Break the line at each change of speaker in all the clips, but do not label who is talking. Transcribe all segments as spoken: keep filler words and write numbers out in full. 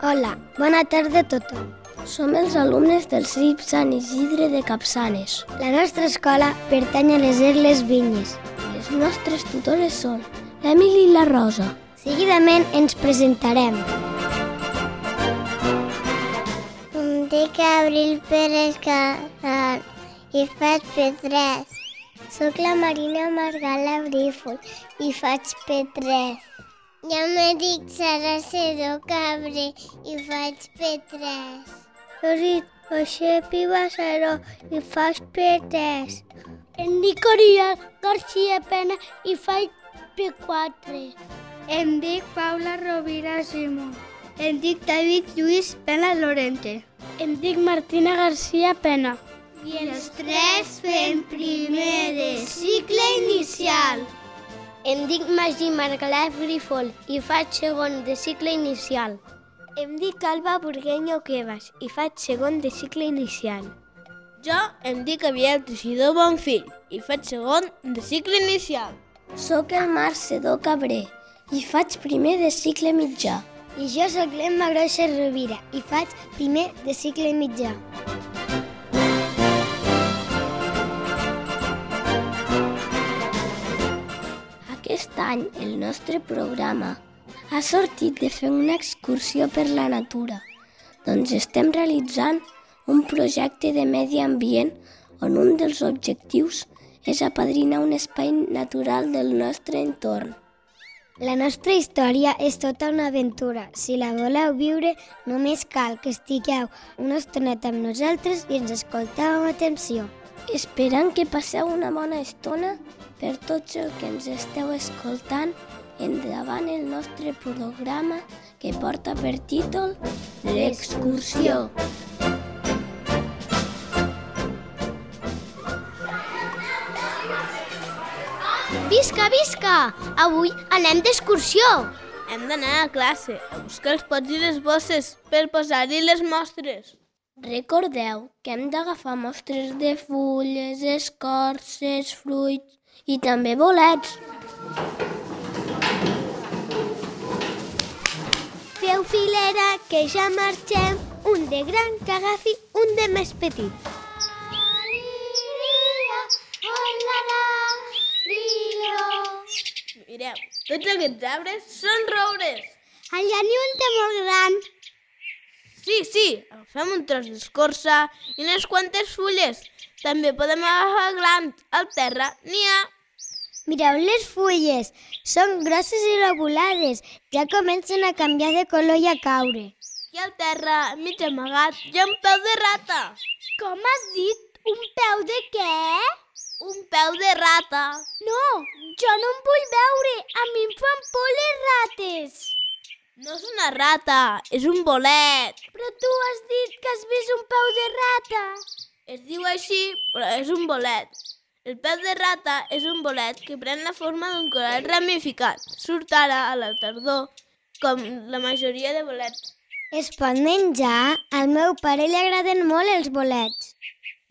Hola, bona tarda a tothom. Som els alumnes del C I P Sant Isidre de Capçanes. La nostra escola pertany a les Erles Vinyes. Les nostres tutores són l'Emili i la Rosa. Seguidament ens presentarem.
Em dic Abril Pérez Casal i faig P tres. Soc la Marina Margala Brífol i faig P tres. Jo me dic Sara Sedó Cabré i faig P tres.
Jo dic José Pibasero i faig P tres.
Em dic Oriol García Pena i faig P quatre.
Em dic Paula Rovira Simó. Em dic David Lluís Pena Lorente.
Em dic Martina García Pena.
I els tres fem primer de cicle inicial. Em dic Magí Margalef Grifol i faig segon de cicle inicial. Em dic Alba Burgueño Cuevas i faig segon de cicle inicial.
Jo em dic Abiel Teixidor Bonfill i faig segon de cicle inicial.
Soc el Marc Sedó Cabré i faig primer de cicle mitjà. I jo soc l'Emma Grossa Rovira i faig primer de cicle mitjà. Aquest any el nostre programa ha sortit de fer una excursió per la natura, doncs estem realitzant un projecte de medi ambient on un dels objectius és apadrinar un espai natural del nostre entorn. La nostra història és tota una aventura. Si la voleu viure, només cal que estigueu una estoneta amb nosaltres i ens escolteu amb atenció. Esperant que passeu una bona estona, per tots els que ens esteu escoltant, endavant el nostre programa que porta per títol L'excursió. Visca, visca! Avui anem d'excursió!
Hem d'anar a classe a buscar els pots i les bosses per posar-hi les mostres.
Recordeu que hem d'agafar mostres de fulles, escorces, fruits i també bolets. Feu filera que ja marxem, un de gran que agafi un de més petit.
Mireu, tots aquests arbres són roures.
Allà n'hi ha un té molt gran.
Sí, sí, agafem un tros d'escorça i unes quantes fulles. També podem agafar glans. Al terra n'hi ha.
Mireu les fulles, són grosses i lobulades, ja comencen a canviar de color i a caure.
I al terra, mig amagat, hi ha un peu de rata.
Com has dit? Un peu de què?
Un peu de rata.
No, jo no em vull veure, a mi em fan por les rates.
No és una rata, és un bolet.
Però tu has dit que has vist un peu de rata.
Es diu així, però és un bolet. El peu de rata és un bolet que pren la forma d'un coral ramificat. Surt ara a la tardor, com la majoria de bolets.
Es pot menjar? Al meu pare li agraden molt els bolets.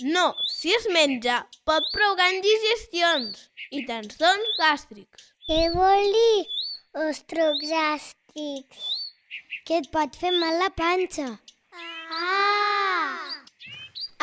No, si es menja, pot provocar indigestions i trastorns gàstrics.
Què vol dir ostrocs gàstrics?
Que et pot fer mal la panxa.
Ah!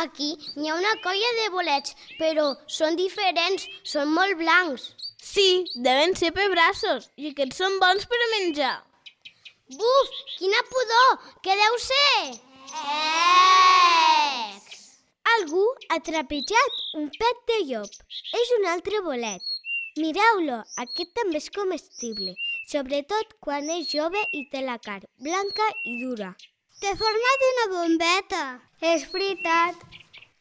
Aquí n'hi ha una colla de bolets, però són diferents, són molt blancs.
Sí, deuen ser pebrassos i aquests són bons per a menjar.
Buf, quina pudor! Què deu ser?
Ecs!
Algú ha trepitjat un pet de llop. És un altre bolet. Mireu-lo, aquest també és comestible, sobretot quan és jove i té la carn blanca i dura.
Té forma d'una bombeta.
És veritat.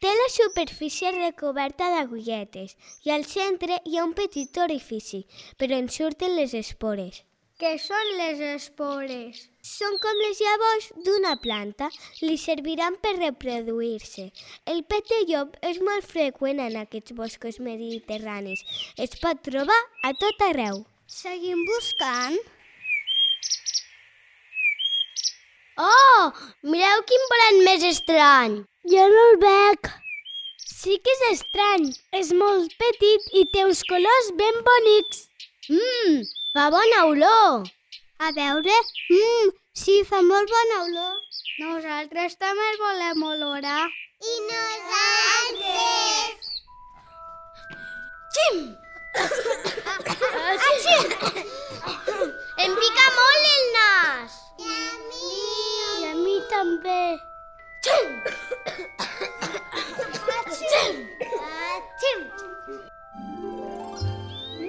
Té la superfície recoberta d'agulletes i al centre hi ha un petit orifici, però en surten les espores.
Què són les espores?
Són com les llavors d'una planta, li serviran per reproduir-se. El pet de llop és molt freqüent en aquests boscos mediterranis. Es pot trobar a tot arreu.
Seguim buscant?
Oh, mireu quin bolet més estrany.
Jo no el veig.
Sí que és estrany. És molt petit i té uns colors ben bonics. Mmm, fa bona olor.
A veure, mmm, Sí, fa molt bona olor. Nosaltres també el volem olorar. I nosaltres... Xim! Em pica molt el nas. I a mi. I a mi també. Xim! Xim! Xim!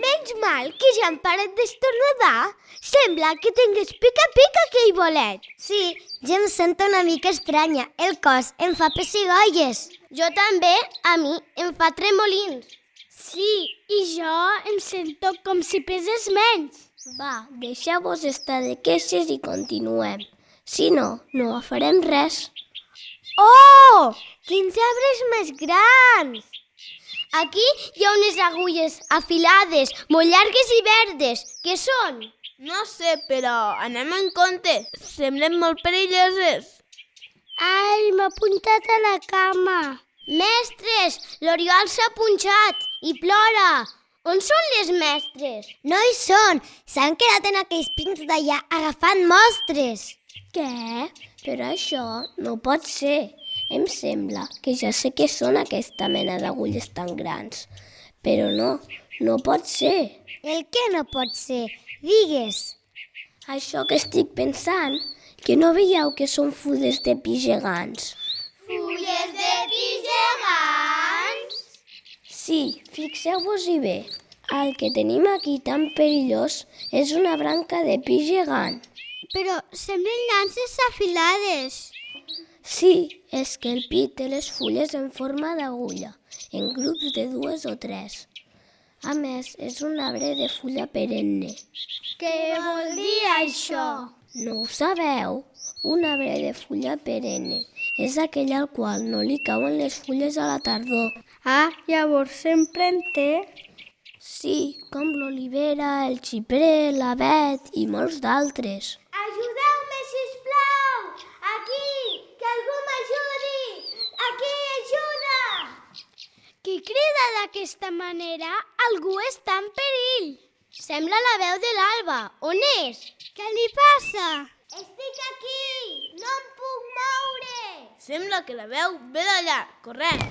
Menys mal que ja han parat d'estornudar. Sembla que tingués pica-pica aquell bolet. Sí, ja em sento una mica estranya. El cos em fa pessigolles. Jo també, a mi em fa tremolins. Sí, i jo em sento com si pesés menys.
Va, deixeu-vos estar de queixes i continuem. Si no, no farem res.
Oh! Quins arbres més grans! Aquí hi ha unes agulles afilades, molt llargues i verdes. Què són?
No sé, però anem en compte. Semblen molt perilloses.
Ai, m'ha puntat a la cama. Mestres, l'Oriol s'ha punxat i plora. On són les mestres? No hi són. S'han quedat en aquells pins d'allà agafant mostres.
Què? Però això no pot ser. Em sembla que ja sé què són aquesta mena d'agulles tan grans. Però no, no pot ser.
El què no pot ser? Digues.
Això que estic pensant, que no veieu que són fulles de pi gegants?
Fulles de pi gegants?
Sí, fixeu-vos-hi bé. El que tenim aquí tan perillós és una branca de pi gegant.
Però semblen llances afilades.
Sí, és que el pi té les fulles en forma d'agulla, en grups de dues o tres. A més, és un arbre de fulla perenne.
Què vol dir això?
No ho sabeu? Un arbre de fulla perenne és aquell al qual no li cauen les fulles a la tardor.
Ah, llavors sempre en té?
Sí, com l'olivera, el xiprer, l'avet i molts d'altres.
Ajudeu-me, sisplau! Aquí! Que algú m'ajudi! Aquí, ajuda! Qui crida d'aquesta manera? Algú està en perill. Sembla la veu de l'Alba. On és? Què li passa? Estic aquí! No em puc moure!
Sembla que la veu ve d'allà, corrent.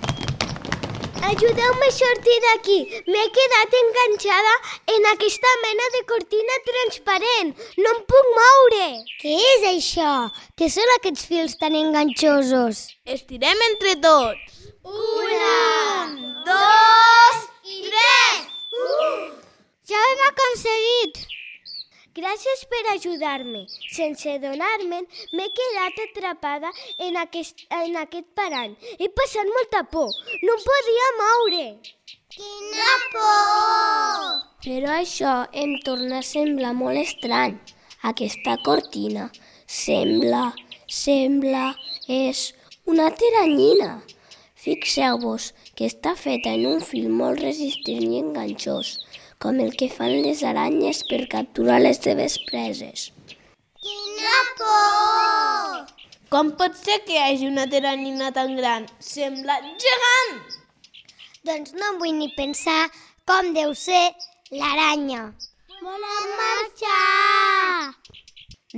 Ajudeu-me a sortir d'aquí. M'he quedat enganxada en aquesta mena de cortina transparent. No em puc moure. Què és això? Què són aquests fils tan enganxosos?
Estirem entre tots.
Una, dos i tres! Ja ho hem aconseguit! Gràcies per ajudar-me. Sense adonar-me'n, m'he quedat atrapada en aquest, en aquest parany. He passat molta por. No em podia moure. Quina por!
Però això em torna a semblar molt estrany. Aquesta cortina sembla, sembla, és una teranyina. Fixeu-vos que està feta en un fil molt resistent i enganxós, com el que fan les aranyes per capturar les seves preses.
Quina por!
Com pot ser que hi hagi una teranyina tan gran? Sembla gegant!
Doncs no vull ni pensar com deu ser l'aranya. Volem marxar!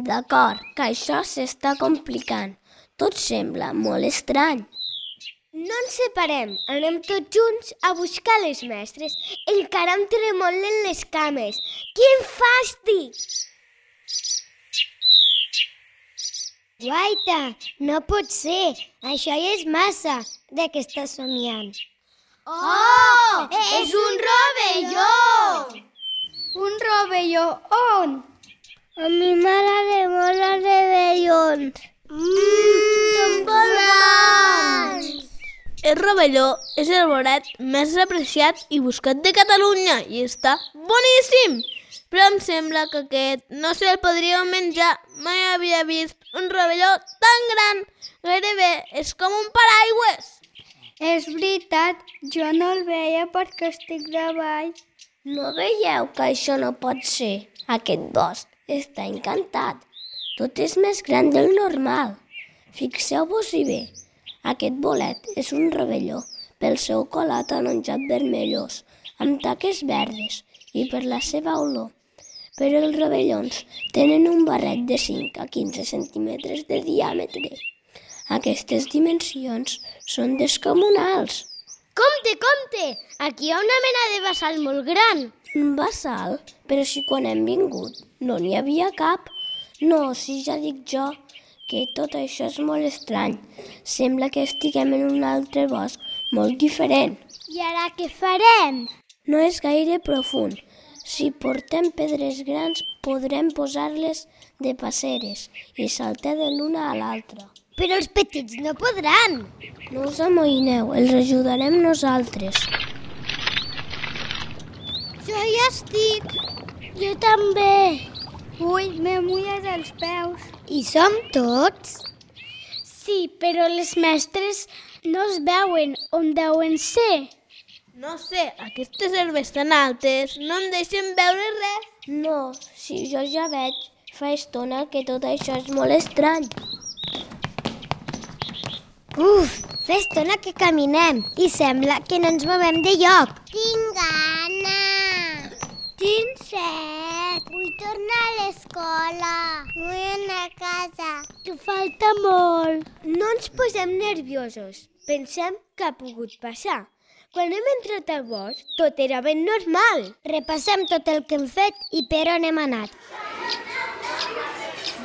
D'acord, que això s'està complicant. Tot sembla molt estrany.
No ens separem, anem tots junts a buscar les mestres. Encara em tremolen les cames. Quin fàstic! Guaita, no pot ser. Això ja és massa. De què estàs somiant? Oh! És un rovelló! Un rovelló on? A mi m'agrada molt els rovellons. Mmm, són bons!
El rovelló és el bolet més apreciat i buscat de Catalunya i està boníssim! Però em sembla que aquest no se'l podria menjar. Mai havia vist un rovelló tan gran. Gairebé és com un paraigües.
És veritat, jo no el veia perquè estic davall.
No veieu que això no pot ser? Aquest bosc està encantat. Tot és més gran del normal. Fixeu-vos-hi bé. Aquest bolet és un rovelló pel seu colat ataronjat vermellós, amb taques verdes i per la seva olor. però els rovellons tenen un barret de cinc a quinze centímetres de diàmetre. Aquestes dimensions són descomunals.
Compte, compte! Aquí hi ha una mena de bassal molt gran.
Un bassal? Però si quan hem vingut no n'hi havia cap. No, si ja dic jo que tot això és molt estrany. Sembla que estiguem en un altre bosc molt diferent.
I ara què farem?
No és gaire profund. Si portem pedres grans podrem posar-les de passeres i saltar de l'una a l'altra.
Però els petits no podran.
No us amoïneu, els ajudarem nosaltres.
Jo ja estic. Jo també. Ui, m'he mullat els peus. I som tots? Sí, però les mestres no es veuen. On deuen ser?
No sé, aquestes herbes tan altes no em deixen veure res.
No, si jo ja veig, fa estona que tot això és molt estrany.
Uf, fa estona que caminem i sembla que no ens movem de lloc. Tinc gana. Tinc set. Vull tornar a l'escola. Vull anar a casa. Que falta molt. No ens posem nerviosos. Pensem què ha pogut passar. Quan hem entrat al bosc, tot era ben normal. Repassem tot el que hem fet i per on hem anat.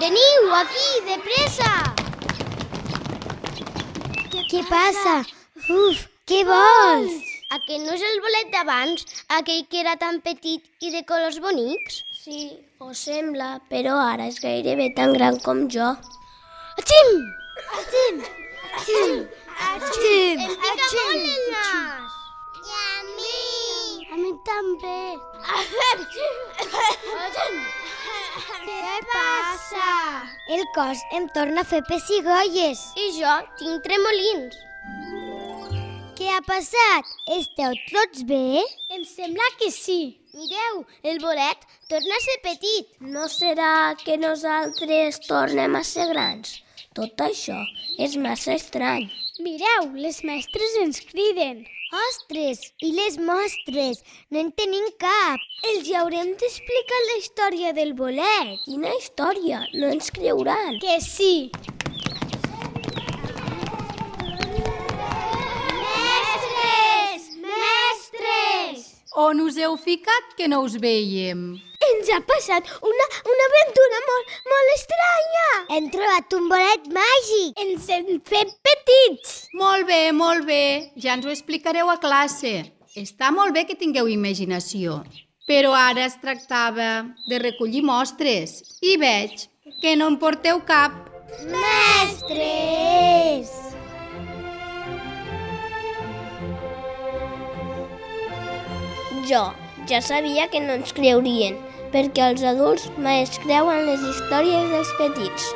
Veniu, aquí, de pressa! Què, què passa? Uf, què vols? Aquest no és el bolet d'abans, aquell que era tan petit i de colors bonics?
Sí, ho sembla, però ara és gairebé tan gran com jo.
Atxim! Atxim! Atxim! Atxim! Em pica molt el nas! I a mi! A mi també! Què passa? El cos em torna a fer pessigolles. I jo tinc tremolins. Què ha passat? Esteu tots bé? Em sembla que sí. Mireu, el bolet torna a ser petit.
No serà que nosaltres tornem a ser grans? Tot això és massa estrany.
Mireu, les mestres ens criden. Ostres, i les mostres? No en tenim cap. Els hi haurem d'explicar la història del bolet.
Quina història? No ens creuran.
Que sí. Mestres! Mestres!
On us heu ficat que no us veiem?
Ens ha passat una, una aventura molt, molt estranya. Hem trobat un bolet màgic. Ens hem fet petits.
Molt bé, molt bé. Ja ens ho explicareu a classe. Està molt bé que tingueu imaginació. Però ara es tractava de recollir mostres. I veig que no en porteu cap.
Mestres!
Jo ja sabia que no ens creurien, perquè els adults mai es creuen les històries dels petits.